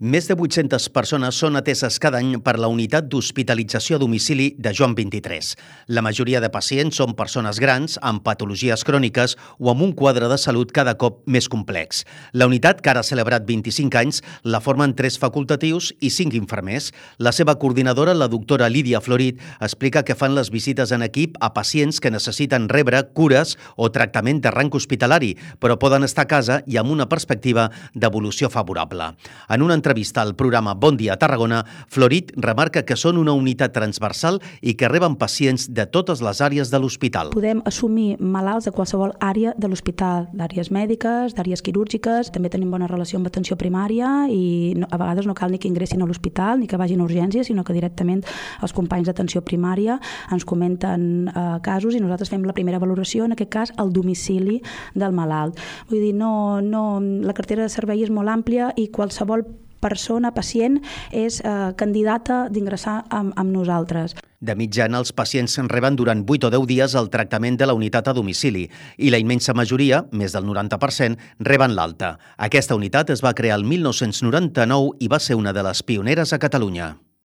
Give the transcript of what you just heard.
Més de 800 persones són ateses cada any per la unitat d'hospitalització a domicili de Joan XXIII. La majoria de pacients són persones grans, amb patologies cròniques o amb un quadre de salut cada cop més complex. La unitat, que ara ha celebrat 25 anys, la formen 3 facultatius i 5 infermers. La seva coordinadora, la doctora Lídia Florit, explica que fan les visites en equip a pacients que necessiten rebre cures o tractament de rang hospitalari, però poden estar a casa i amb una perspectiva d'evolució favorable. En una entrevista al programa Bon Dia Tarragona, Florit remarca que són una unitat transversal i que reben pacients de totes les àrees de l'hospital. Podem assumir malalts de qualsevol àrea de l'hospital, d'àrees mèdiques, d'àrees quirúrgiques, també tenim bona relació amb atenció primària i a vegades no cal ni que ingressin a l'hospital ni que vagin a urgències, sinó que directament els companys d'atenció primària ens comenten casos i nosaltres fem la primera valoració, en aquest cas al domicili del malalt. Vull dir, la cartera de servei és molt àmplia i qualsevol persona, pacient, és candidata d'ingressar amb nosaltres. De mitjana, els pacients reben durant 8 o 10 dies el tractament de la unitat a domicili i la immensa majoria, més del 90%, reben l'alta. Aquesta unitat es va crear el 1999 i va ser una de les pioneres a Catalunya.